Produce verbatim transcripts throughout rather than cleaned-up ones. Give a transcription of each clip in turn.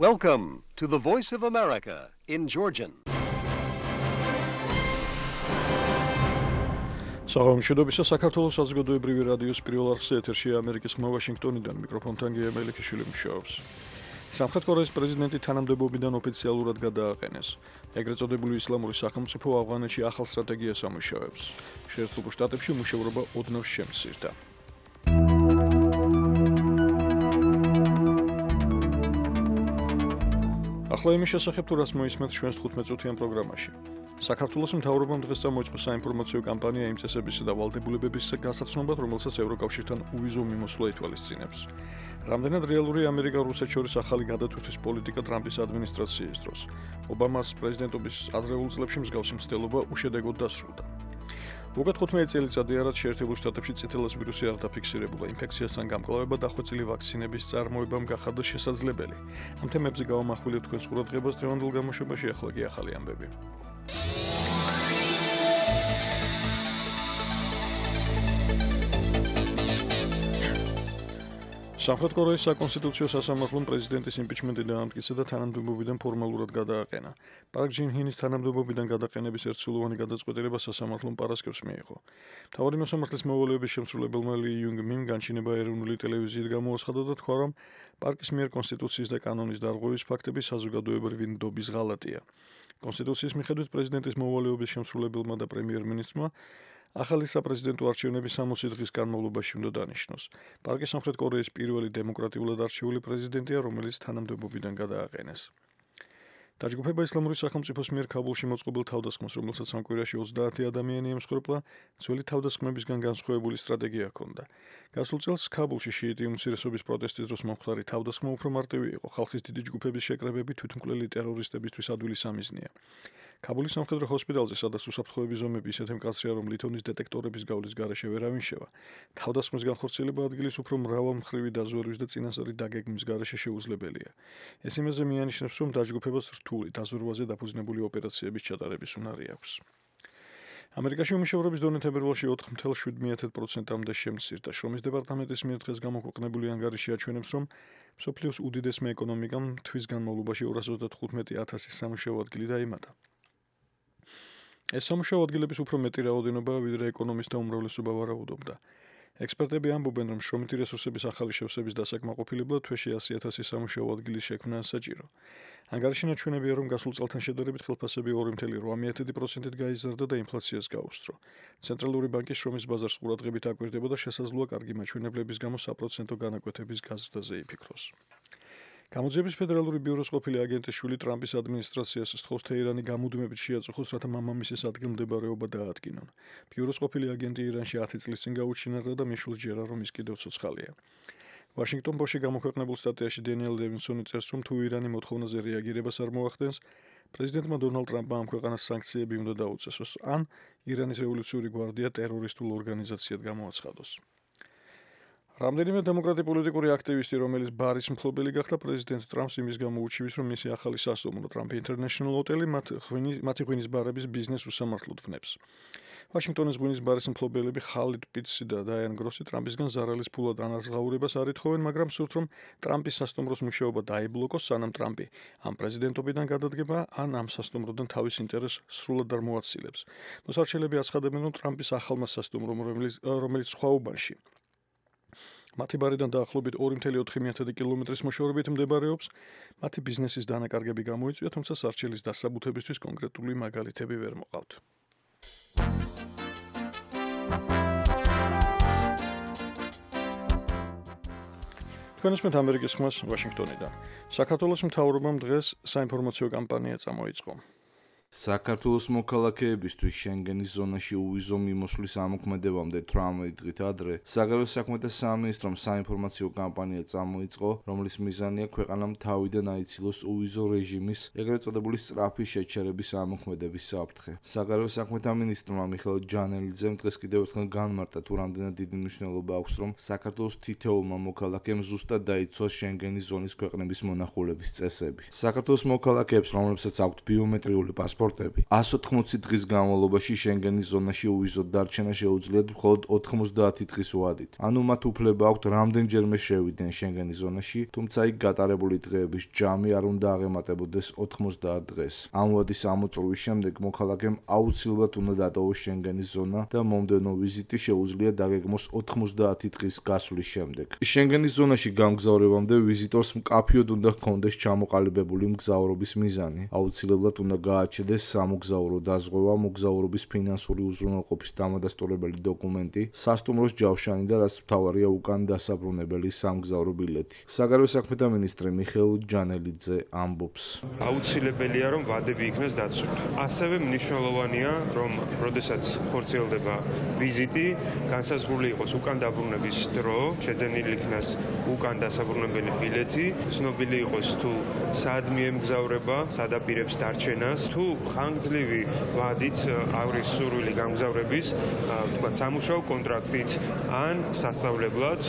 Welcome to the Voice of America in Georgian. საღამოშობისა საქართველოს საზოგადოებრივი რადიოს პირველ არხზე ეთერშია ამერიკის ხმა ვაშინგტონიდან მიკროფონთან გია მელიქიშვილი მუშაობს. სამხრეთ კორეის პრეზიდენტი თანამდებობიდან ოფიციალურად გადააყენეს. ეგრეთ წოდებული ისლამური სახელმწიფო ავღანეთში ახალ სტრატეგიას ამუშავებს. შეერთებულ შტატებში მუშაობა ოდნავ შემცირდა. ახლა იმის შესახებ თუ რას მოისმენთ ჩვენს თხუთმეტ-წუთიან პროგრამაში. საქართველოს მთავრობამ დღეს წამოიწყო საინფორმაციო კამპანია იმ წესებისა და ვალდებულებების გასაცნობად, რომელსაც ევროკავშირთან უვიზო მიმოსვლა ითვალისწინებს. რამდენად რეალურია ამერიკა-რუსეთს შორის ახალი გადატვირთვის პოლიტიკა ტრამპის ადმინისტრაციის დროს. ობამას პრეზიდენტობის ადრეულ წლებში მსგავსი მცდელობა უშედეგოდ დასრულდა. უკეთ თხუთმეტი წელიწადია, რაც შეერთებულ შტატებში წითელას ვირუსი არ დაფიქსირებულა, ინფექციასთან გამკლავება და დახვეწილი ვაქცინების წარმოებამ გახადა შესაძლებელი. ამ თემებზე გავამახვილებთ თქვენს ყურადღებას დღევანდელ გამოშვებაში, ახლა კი ახალი ამბები. სამხრეთ კორეის საკონსტიტუციო სასამართლომ პრეზიდენტის იმპიჩმენტი დაამტკიცა და თანამდებობიდან ფორმალურად გადააყენა. პარკ ჯინ ჰინის თანამდებობიდან გადაყენების ერთსულოვანი გადაწყვეტილება სასამართლომ პარასკევს მიიღო. მთავარი მოსამართლის მოვალეობის შემსრულებელმა ლი იუნგ მიმ განჩინება ეროვნული ტელევიზიით გამოაცხადა და თქვა, რომ პარკის მიერ კონსტიტუციის და კანონის დარღვევის ფაქტები საზოგადოებრივი ნდობის ღალატია. კონსტიტუციის მიხედვით პრეზიდენტის მოვალეობის შემსრულებელმა და პრემიერ-მინისტრმა ახალი საპრეზიდენტო არჩევნები სამოცი დღის განმავლობაში უნდა დანიშნოს. პარკი სამხრეთ კორეის პირველი დემოკრატიულად არჩეული პრეზიდენტია, რომელიც თანამდებობიდან გადააყენეს. დაჯგუფება ისლამური სახელმწიფოს მიერ ქაბულში მოწყობილ თავდასხმას, რომელსაც ამ კვირაში ოცდაათი ადამიანი ემსხვერპლა, ძველი თავდასხმებისგან განსხვავებული სტრატეგია ჰქონდა. გასულ წელს ქაბულში შიიტი უმცირესობის პროტესტის დროს მომხდარი თავდასხმა უფრო მარტივი იყო. ხალხის დიდი ჯგუფების შეკრებები თვითმკვლელი ტერორისტებისთვის ადვილი სამიზნეა. ქაბულის სამხედრო ჰოსპიტალზე, სადაც უსაფრთხოების ზომები ისეთი მკაცრია, რომ ლითონის დეტექტორების გავლის გარეშე ვერავინ შევა. თავდასხმის განხორციელება ადგილის უფრო მრავალმხრივი დაზვერვის და წინასწარი დაგეგმვის გარეშე შეუძლებელია. ეს იმაზე მიანიშნებს, რომ დაჯგუფებას რთული დაზვერვაზე დაფუძნებული ოპერაციების ჩატარების უნარი აქვს. ამერიკაში უმუშევრობის დონე თებერვალში ოთხ ათეულს შვიდ პროცენტამდე შემცირდა. შრომის დეპარტამენტის მიერ დღეს გამოქვეყნებული ანგარიში აჩვენებს, რომ მსოფლიოს უდიდესმა ეკონომიკამ თვის განმავლობაში ორას ოცდათხუთმეტი ათასი სამუშაო ადგილი დაემატა. ეს სამუშაო ადგილების უფრო მეტი რაოდენობაა, ვიდრე ეკონომისტთა უმრავლესობა ვარაუდობდა. ექსპერტები ამბობენ, რომ შრომითი რესურსების ახალი შევსების დასაკმაყოფილებლად თვეში ასი ათასი სამუშაო ადგილის შექმნა საჭირო. ანგარიში ნაჩვენებია, რომ გასულ წელთან შედარებით ხელფასები ორი ათეული რვა პროცენტით გაიზარდა და ინფლაციას გაუსწრო. ცენტრალური ბანკის შრომის ბაზარს ყურადღებით აკვირდება და შესაძლოა კარგი მაჩვენებლების გამო საპროცენტო განაკვეთების გაზრდაზე იფიქროს. გამოძიების ფედერალური ბიუროს ყოფილი აგენტის შვილი ტრამპის ადმინისტრაციას სთხოვს თეირანი გამუდმებით შეაწუხოს, რათა მამამისის ადგილმდებარეობა დაადგინონ. ბიუროს ყოფილი აგენტი ირანში ათი წლის წინ გაუჩინარდა და მის შვილს ჯერა, რომ ის კიდევ ცოცხალია. ვაშინგტონ პოსტში გამოქვეყნებულ სტატიაში დენიელ ლევინსონი წერს, რომ თუ ირანი მოთხოვნაზე რეაგირებას არ მოახდენს, პრეზიდენტმა დონალდ ტრამპმა ამ ქვეყანას სანქციები უნდა დაუწესოს, ან ირანის რევოლუციური გვარდია ტერორისტულ ორგანიზაციად გამოაცხადოს. რამდენიმე დემოკრატი პოლიტიკური აქტივისტი, რომელიც ბარის მფლობელი გახდა პრეზიდენტ ტრამპს იმის გამო უჩივის, რომ მისი ახალი სასტუმრო Trump International ჰოტელი მათი ღვინის ბარების ბიზნეს უსამართლოდ ვნებს. ვაშინგტონის ღვინის ბარის მფლობელები ხალიდ პიტსი და დაიან გროსი ტრამპისგან ზარალის ფულად ანაზღაურებას არ ითხოვენ, მაგრამ სურთ, რომ ტრამპის სასტუმროს მუშაობა დაიბლოკოს, სანამ ტრამპი ამ პრეზიდენტობიდან გადადგება, ან ამ სასტუმროდან თავის ინტერესს სრულად არ მოაცილებს. მოსარჩელები აცხადებენ, რომ ტრამპის ახალმა სასტუმრომ, რომელიც სხვა უბანში მათი ბარიდან დაახლოებით ორი ათეული ოთხი კილომეტრის მოშორებით მდებარეობს, მათი ბიზნესის დანაკარგები გამოიწვია, თუმცა სარჩელის დასაბუთებისთვის კონკრეტული მაგალითები ვერ მოყავთ. თქვენ ისმენთ ამერიკის ხმას ვაშინგტონიდან. საქართველოს მთავრობამ დღეს საინფორმაციო კამპანია წამოიწყო. საქართველოს მოქალაქეებისთვის შენგენის ზონაში უვიზო მიმოსვლის ამოქმედებამდე თხმეტი დღით ადრე საგარეო საქმეთა სამინისტრომ საინფორმაციო კამპანია წამოიწყო, რომლის მიზანია ქვეყანამ თავიდან აიცილოს უვიზო რეჟიმის, ეგრეთ წოდებული სწრაფი შეჩერების ამოქმედების საფრთხე. საგარეო საქმეთა მინისტრმა მიხეილ ჯანელიძემ დღეს კიდევ ერთხელ განმარტა, თუ რამდენად დიდი მნიშვნელობა აქვს, რომ საქართველოს თითოეულმა მოქალაქემ ზუსტად დაიცვას შენგენის ზონის ქვეყნების მონახულების წესები. საქართველოს მოქალაქეებს, რომლებსაც აქვთ ბიომეტრიული პასპორტი, პასპორტები. εκατს ოთხმოცი დღის განმავლობაში შენგენის ზონაში უვიზოდ დარჩენა შეუძლიათ მხოლოდ ოთხმოცდაათი დღის ვადით. ანუ მათ უფლება აქვთ რამდენჯერმე შევიდნენ შენგენის ზონაში, თუმცა იქ გატარებული დღეების ჯამი არ უნდა აღემატებოდეს ოთხმოცდაათ დღეს. ამ ვადის ამოწურვის შემდეგ მოქალაქემ აუცილებლად უნდა დატოვოს შენგენის ზონა და მომდევნო ვიზიტი შეუძლია დაგეგმოს ოთხმოცდაათი დღის გასვლის შემდეგ. შენგენის ზონაში გამგზავრებამდე ვიზიტორს მკაფიოდ უნდა ჰქონდეს ჩამოყალიბებული მგზავრობის მიზანი. აუცილებლად უნდა გააჩნდეს სამოგზაურო დაზღვევა, მოგზაურობის ფინანსური უზრუნველყოფის დამადასტურებელი დოკუმენტი, სასტუმროს ჯავშანი და რაც მთავარია უკან დასაბრუნებელი სამგზავრო ბილეთი. საგარეო საქმეთა მინისტრი მიხეილ ჯანელიძე ამბობს. აუცილებელია რომ ვადები იქნას დაცული. ასევე მნიშვნელოვანია რომ როდესაც ხორციელდება ვიზიტი, განსაზღვრული იყოს უკან დაბრუნების დრო, შეძენილი იქნას უკან დასაბრუნებელი ბილეთი, ცნობილი იყოს თუ სად მიემგზავრება, სად აპირებს დარჩენას, თუ ხანგრძლივი ვადით არის სურვილი გამგზავრების, თქვათ სამუშაო კონტრაქტით ან სასწავლებლად,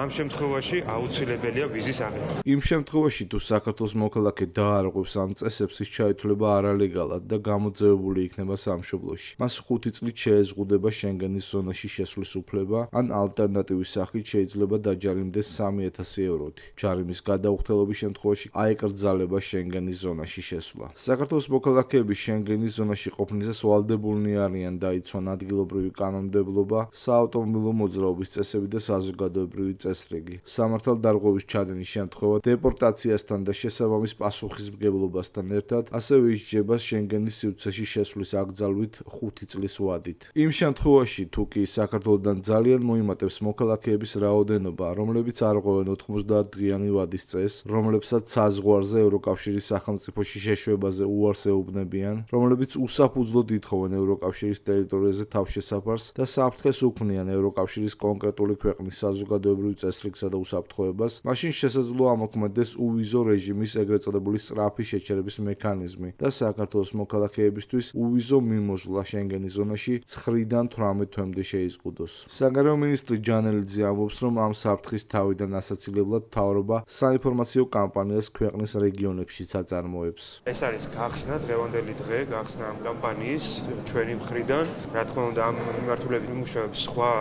ამ შემთხვევაში აუცილებელია ვიზის აღება. იმ შემთხვევაში თუ საქართველოს მოქალაქე დაარღვევს ამ წესებს, ის ჩაითვლება არალეგალად და გამოძევებული იქნება სამშობლოში. მას ხუთი წლით შეეზღუდება შენგენის ზონაში შესვლის უფლება, ან ალტერნატივის სახით შეიძლება დაჯარიმდეს სამი ათასი ევროთი. ჯარიმის გადაუხდელობის შემთხვევაში აეკრძალება შენგენის ზონაში შესვლა. საქართველოს მოქალაქეები შენგენის ზონაში ყოფნისას ვალდებულნი არიან დაიცვან ადგილობრივი კანონმდებლობა, საავტომობილო მოძრაობის წესები და საზოგადოებრივი წესრიგი. სამართალდარღვევის ჩადენის შემთხვევა დეპორტაციასთან და შესაბამის პასუხისმგებლობასთან ერთად ასევე ისჯება შენგენის სივრცეში შესვლის აკრძალვით ხუთი წლის ვადით. იმ შემთხვევაში თუ კი საქართველოდან ძალიან მოიმატებს მოქალაქეების რაოდენობა, რომლებიც არ ღვევენ ოთხმოცდაათ დღიანი ვადის წესს, რომლებსაც საზღვარზე ევროკავშირის სახელმწიფოში შეშვებაზე უარს ეუბნებიან, რომლებიც უსაფუძვლოდ ითხოვენ ევროკავშირის ტერიტორიაზე თავშესაფარს და საფრთხეს უქმნიან ევროკავშირის კონკრეტული ქვეყნის საზოგადოებრივ წესრიგსა და უსაფრთხოებას, მაშინ შესაძლოა ამოქმედდეს უვიზო რეჟიმის ეგრეთ წოდებული სწრაფი შეჩერების მექანიზმი და საქართველოს მოქალაქეებისთვის უვიზო მიმოსვლა შენგენის ზონაში ცხრიდან თვრამეტ თვემდე შეიზღუდოს. საგარეო მინისტრი ჯანელიძე ამბობს, რომ ამ საფრთხის თავიდან ასაცილებლად მთავრობა საინფორმაციო კამპანიას ქვეყნის რეგიონებშიც აწარმოებს. ეს არის გახსნა, დღევანდელი დღე გახსნა ამ კამპანიის ჩვენი მხრიდან. რა თქმა უნდა, ამ მიმართულებით იმუშავებს სხვა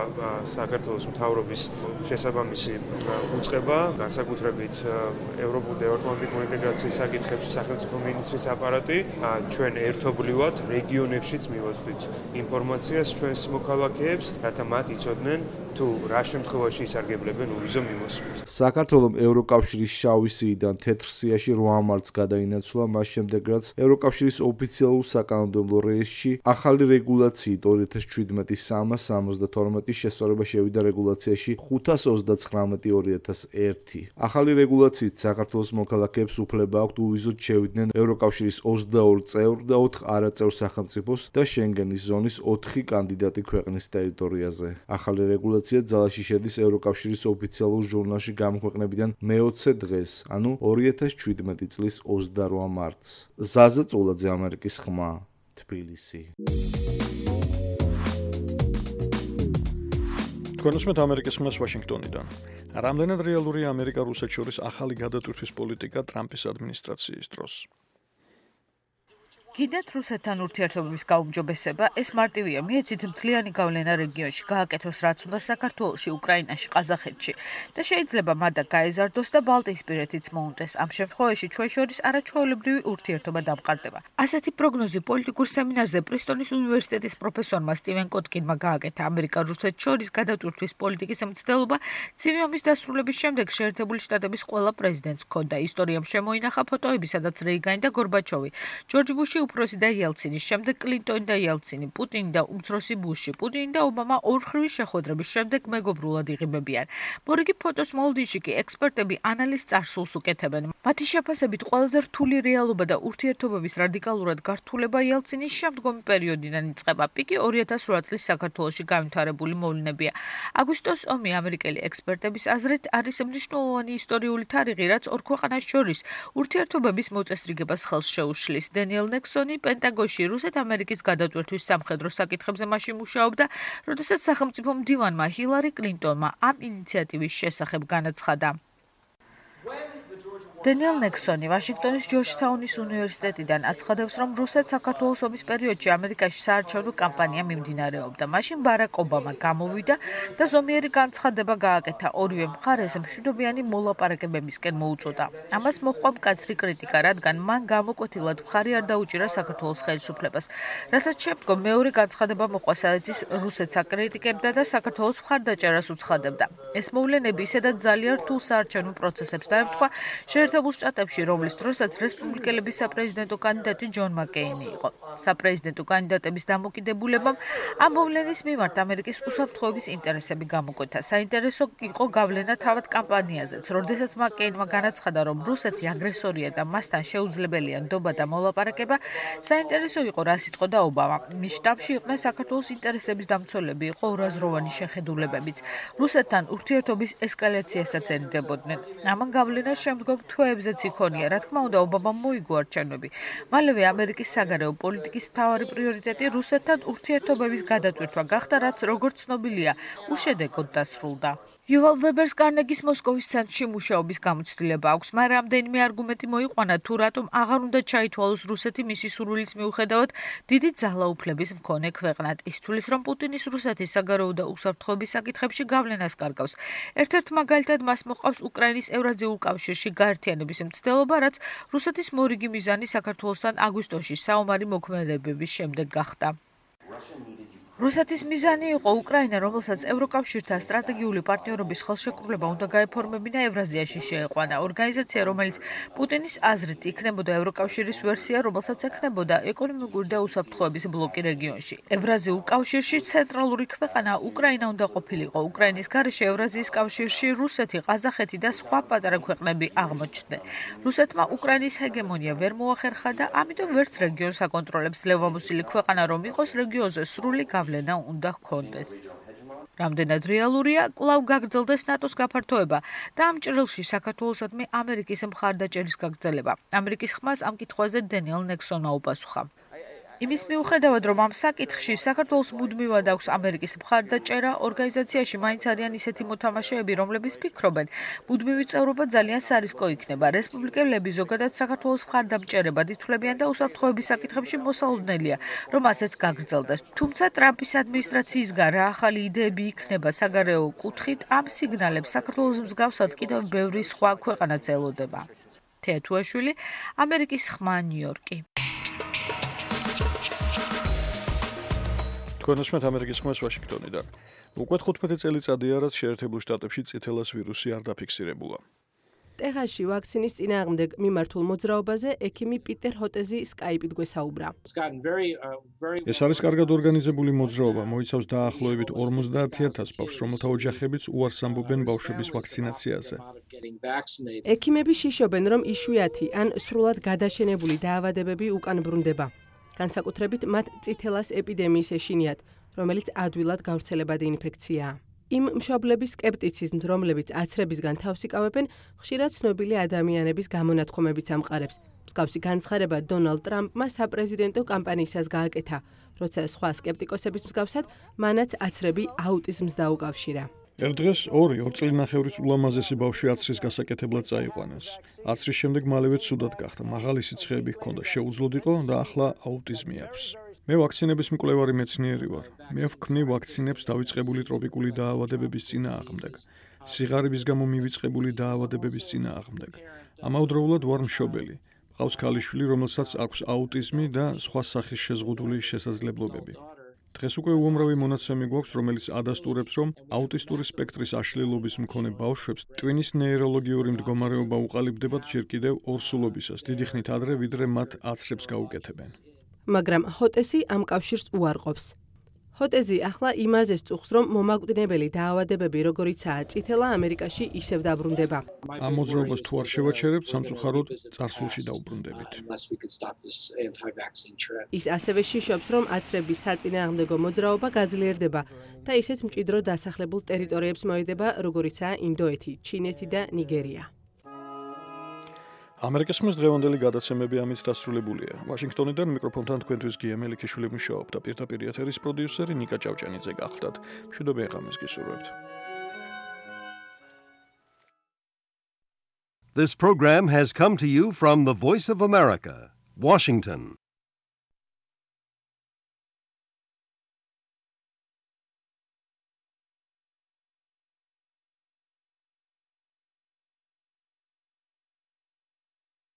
საქართველოს მთავრობის შესაბამისი უწყება, განსაკუთრებით ევროპულ და ევროატლანტიკურ ინტეგრაციის საკითხებში სახელმწიფო მინისტრის აპარატი. ჩვენ ერთობლივად რეგიონებშიც მივაწვდით ინფორმაციას ჩვენს მოქალაქეებს, რათა მათ იცოდნენ თუ რა შემთხვევაში ისარგებლებენ უვიზო მიმოსვლით. საქართველოს ევროკავშირის შავი სიიდან თეთრ სიაში რვა მარტს გადაინაცვლა, მას შემდეგ რაც ევროკავშირის ოფიციალურ საკანონმდებლო რეესტრში ახალი რეგულაციით ორი ათას შვიდმეტი სამას სამოცდათორმეტი შესწორება შევიდა რეგულაციაში ხუთას ოცდაცხრამეტი ორი ათას ერთი. ახალი რეგულაციით საქართველოს მოქალაქეებს უფლება აქვთ უვიზოდ შევიდნენ ევროკავშირის ოცდაორ წევრ და ოთხ არაწევრ სახელმწიფოს და შენგენის ზონის ოთხი კანდიდატი ქვეყნის ტერიტორიაზე. ახალი რეგულაცია ძალაში შედის ევროკავშირის ოფიციალურ ჟურნალში გამოქვეყნებიდან მეოცე დღეს, ანუ ორი ათას შვიდმეტი წლის ოცდარვა მარტს. ზაზა წულაძე, ამერიკის ხმა, თბილისი. თქვენ უსმენთ ამერიკის ხმას ვაშინგტონიდან. რამდენად რეალურია ამერიკა-რუსეთს შორის ახალი გადატვირთვის პოლიტიკა ტრამპის ადმინისტრაციის დროს? კიდევ რუსეთთან ურთიერთობების გაუმჯობესება ეს მარტივია მიეცით მთლიანი გავლენა რეგიონში გააკეთოს რაც უნდა საქართველოში, უკრაინაში, ყაზახეთში და შეიძლება მადა გაეზარდოს და ბალტიისპირეთიც მოუნდეს. ამ შემთხვევაში ჩვენ შორის არაჩვეულებრივი ურთიერთობა დამყარდება. ასეთი პროგნოზი პოლიტიკურ სემინარზე პრისტონის უნივერსიტეტის პროფესორმა სტივენ კოტკინმა გააკეთა. ამერიკა-რუსეთს შორის გადატვირთვის პოლიტიკის მცდელობა ცივი ომის დასრულების შემდეგ შეერთებული შტატების ყველა პრეზიდენტს ჰქონდა. ისტორიამ შემოინახა ფოტოები, სადაც რეიგანი და გორბაჩოვი, ჯორჯ ბუში უფროსი და იელცინის, შემდეგ კლინტონი და იელცინი, პუტინი და უმცროსი ბუში, პუტინი და ობამა ორხრივი შეხვედრების შემდეგ მეგობრულად იღებებიან. მორიგი ფოტოს მოლოდინში კი ექსპერტები ანალიზ წარსულს უკეთებენ. მათი შეფასებით ყველაზე რთული რეალობა და ურთიერთობების რადიკალურად გართულება იელცინის შემდგომი პერიოდიდან იწყება. პიკი ორი ათას რვა წლის საქართველოში განვითარებული მოვლენებია. აგვისტოს ომი ამერიკელი ექსპერტების აზრით არის მნიშვნელოვანი ისტორიული თარიღი, რაც ორ ქვეყანას შორის ურთიერთობების მოწესრიგებას ხელს შეუშლის. დენიელ ნექსონი პენტაგონში რუსეთ-ამერიკის გადატვირთვის სამხედრო საკითხებზე მაშინ მუშაობდა, როდესაც სახელმწიფო მდივანმა ჰილარი კლინტონმა ამ ინიციატივის შესახებ განაცხადა. დენიელ ნექსონი ვაშინგტონის ჯორჯთაუნის უნივერსიტეტიდან აცხადებს, რომ რუსეთ-საქართველოს ომის პერიოდში ამერიკაში საარჩევნო კამპანია მიმდინარეობდა. მაშინ ბარაკ ობამა გამოვიდა და ზომიერი განცხადება გააკეთა. ორივე მხარეს მშვიდობიანი მოლაპარაკებებისკენ მოუწოდა. ამას მოჰყვა მკაცრი კრიტიკა, რადგან მან გამოკვეთილად მხარი არ დაუჭირა საქართველოს ხელისუფლებას. რასაც შემდგომ მეორე განცხადება მოჰყვა, სადაც ის რუსეთს აკრიტიკებდა და საქართველოს მხარდაჭერას უცხადებდა. ეს მოვლენები ისედაც ძალიან რთულ საარჩევნო პროცესებს დაემთხვა შეერთებულ შტატებში, რომლის დროსაც რესპუბლიკელების საპრეზიდენტო კანდიდატი ჯონ მაკეინი იყო. საპრეზიდენტო კანდიდატების დამოკიდებულებამ ამ მოვლენის მიმართ ამერიკის უსაფრთხოების ინტერესები გამოკვეთა. საინტერესო იყო გავლენა თავად კამპანიაზეც, როდესაც მაკეინმა განაცხადა, რომ რუსეთი აგრესორია და მასთან შეუძლებელია ნდობა და მოლაპარაკება. საინტერესო იყო, რა სიტყოდა ობამა. მის შტაბში იყვნენ საქართველოს ინტერესების დამცველები, იყო ორაზროვანი შეხედულებებიც. რუსეთთან ურთიერთობის ესკალაციასაც ერიდებოდნენ. ამან გავლენას შემდგომ თვეებზეც იქონია. რა თქმა უნდა, ობამამ მოიგო არჩევნები. მალევე ამერიკის საგარეო პოლიტიკის მთავარი პრიორიტეტი რუსეთთან ურთიერთობების გადატვირთვა გახდა, რაც როგორც ცნობილია, უშედეგოდ დასრულდა. იუვალ ვებერს კარნეგის მოსკოვის ცენტრში მუშაობის გამოცდილება აქვს, მაგრამ რამდენიმე არგუმენტი მოიყვანა, თუ რატომ აღარ უნდა ჩაითვალოს რუსეთი მისი სურვილის მიუხედავად დიდი ძალაუფლების მქონე ქვეყნად. ის თვლის, რომ პუტინის რუსეთის საგარეო და უსაფრთხოების საკითხებში გავლენას კარგავს. ერთ-ერთ მაგალითად მას მოჰყავს უკრაინის ევრაზიულ კავშირში გაერთიანების მცდელობა, რაც რუსეთის მორიგი მიზანი საქართველოსთან აგვისტოში საომარი მოქმედებების შემდეგ გახდა. რუსეთის მიზანი იყო უკრაინა, რომელსაც ევროკავშირთან სტრატეგიული პარტნიორობის ხელშეკრულება უნდა გაეფორმებინა ევრაზიაში შეეყვანა. ორგანიზაცია, რომელიც პუტინის აზრით იქნებოდა ევროკავშირის ვერსია, რომელსაც ექნებოდა ეკონომიკური და უსაფრთხოების ბლოკი რეგიონში. ევრაზიულ კავშირში ცენტრალური ქვეყანა უკრაინა უნდა ყოფილიყო. უკრაინის გარეშე ევრაზიის კავშირში რუსეთი, ყაზახეთი და სხვა პატარა ქვეყნები აღმოჩნდნენ. რუსეთმა უკრაინის ჰეგემონია ვერ მოახერხა და ამიტომ ვერც რეგიონს აკონტროლებს ძლევამოსილი ქვეყანა რომ იყოს, რეგიონზე სრული გავლენა უნდა ჰქონდეს. რამდენად რეალურია, კვლავ გაგრძელდეს ნატოს გაფართოება და ამ ჭრილში საქართველოსადმი ამერიკის მხარდაჭერის გაგრძელება. ამერიკის ხმას ამ კითხვაზე დენიელ ნექსონმა უპასუხა. იმის მიუხედავად, რომ ამ საკითხში საქართველოს მუდმივად აქვს ამერიკის მხარდაჭერა, ორგანიზაციაში მაინც არიან ისეთი მოთამაშეები, რომლებიც ფიქრობენ, მუდმივი წევრობა ძალიან სარისკო იქნება. რესპუბლიკელები ზოგადად საქართველოს მხარდამჭერებად ითვლებიან და უსაფრთხოების საკითხებში მოსალოდნელია, რომ ასეც გაგრძელდეს. თუმცა ტრამპის ადმინისტრაციისგან რა ახალი იდეები იქნება საგარეო კუთხით, ამ სიგნალებს საქართველოს მსგავსად კიდევ ბევრი სხვა ქვეყანაც ელოდება. თეა თუაშვილი, ამერიკის ხმა, ნიუ-იორკი. თქვენსმეთ ამერიკის ხმას ვაშინგტონიდან. უკვე თხუთმეტი წელიწადია, რაც შეერთებულ შტატებში წითელას ვირუსი არ დაფიქსირებულა. ტეხასში ვაქცინის წინააღმდეგ მიმართულ მოძრაობაზე ექიმი პიტერ ჰოტეზი სკაიპით გვესაუბრა. ეს არის კარგად ორგანიზებული მოძრაობა, მოიცავს დაახლოებით ორმოცდაათ ათას ბავშვს, რომელთა ოჯახებიც უარს ამბობენ ბავშვების ვაქცინაციაზე. ექიმები შიშობენ, რომ იშვიათი ან სრულად გადაშენებული დაავადებები უკან ბრუნდება. განსაკუთრებით მათ წითელას ეპიდემიის ეშინიათ, რომელიც ადვილად გავრცელებადი ინფექციაა. იმ მშობლების სკეპტიციზმს, რომლებიც აცრებისგან თავს იკავებენ, ხშირად ცნობილი ადამიანების გამონათქვამებიც ამყარებს. მსგავსი განცხადება დონალდ ტრამპმა საპრეზიდენტო კამპანიისას გააკეთა, როცა სხვა სკეპტიკოსების მსგავსად, მანაც აცრები აუტიზმს დაუკავშირა. ერთ დღეს ორი ორ წელნახევრის ულამაზესი ბავშვი აცრის გასაკეთებლად წაიყვანეს. აცრის შემდეგ მალევე ცუდად გახდა, მაღალი სიცხეები ჰქონდა, შეუძლოდ იყო და ახლა აუტიზმი აქვს. მე ვაქცინების მკვლევარი მეცნიერი ვარ. მე ვქმნი ვაქცინებს დავიწყებული ტროპიკული დაავადებების წინააღმდეგ, სიღარიბის გამო მივიწყებული დაავადებების წინააღმდეგ. ამავდროულად ვარ მშობელი. მყავს ქალიშვილი, რომელსაც აქვს აუტიზმი და სხვა სახის შეზღუდული შესაძლებლობები. დღეს უკვე უამრავი მონაცემი გვაქვს, რომელიც ადასტურებს, რომ აუტისტური სპექტრის აშლილობის მქონე ბავშვებს ტვინის ნეიროლოგიური მდგომარეობა უყალიბდებათ ჯერ კიდევ ორსულობისას, დიდი ხნით ადრე, ვიდრე მათ აცრებს გაუკეთებენ. მაგრამ ჰოტესი ამ კავშირს უარყოფს. ჰოტეზი ახლა იმაზე სწუხს, რომ მომაკვდინებელი დაავადებები, როგორიცაა წითელა, ამერიკაში ისევ დაბრუნდება. ამ მოძრაობას თუ არ შევაჩერებთ, სამწუხაროდ წარსულში დაუბრუნდებით. ის ასევე შიშობს, რომ აცრების საწინააღმდეგო მოძრაობა გაძლიერდება და ისეთ მჭიდრო დასახლებულ ტერიტორიებს მოედება, როგორიცაა ინდოეთი, ჩინეთი და ნიგერია. ამერიკის ხმის დღევანდელი გადაცემები ამით დასრულებულია. ვაშინგტონიდან მიკროფონთან თქვენთვის გია მელიქიშვილი მუშაობდა, პირდაპირ ეთერის პროდიუსერი ნიკა ჭავჭანიძე გახლდათ. მშვიდობიან ღამეს გისურვებთ. This program has come to you from the Voice of America, Washington.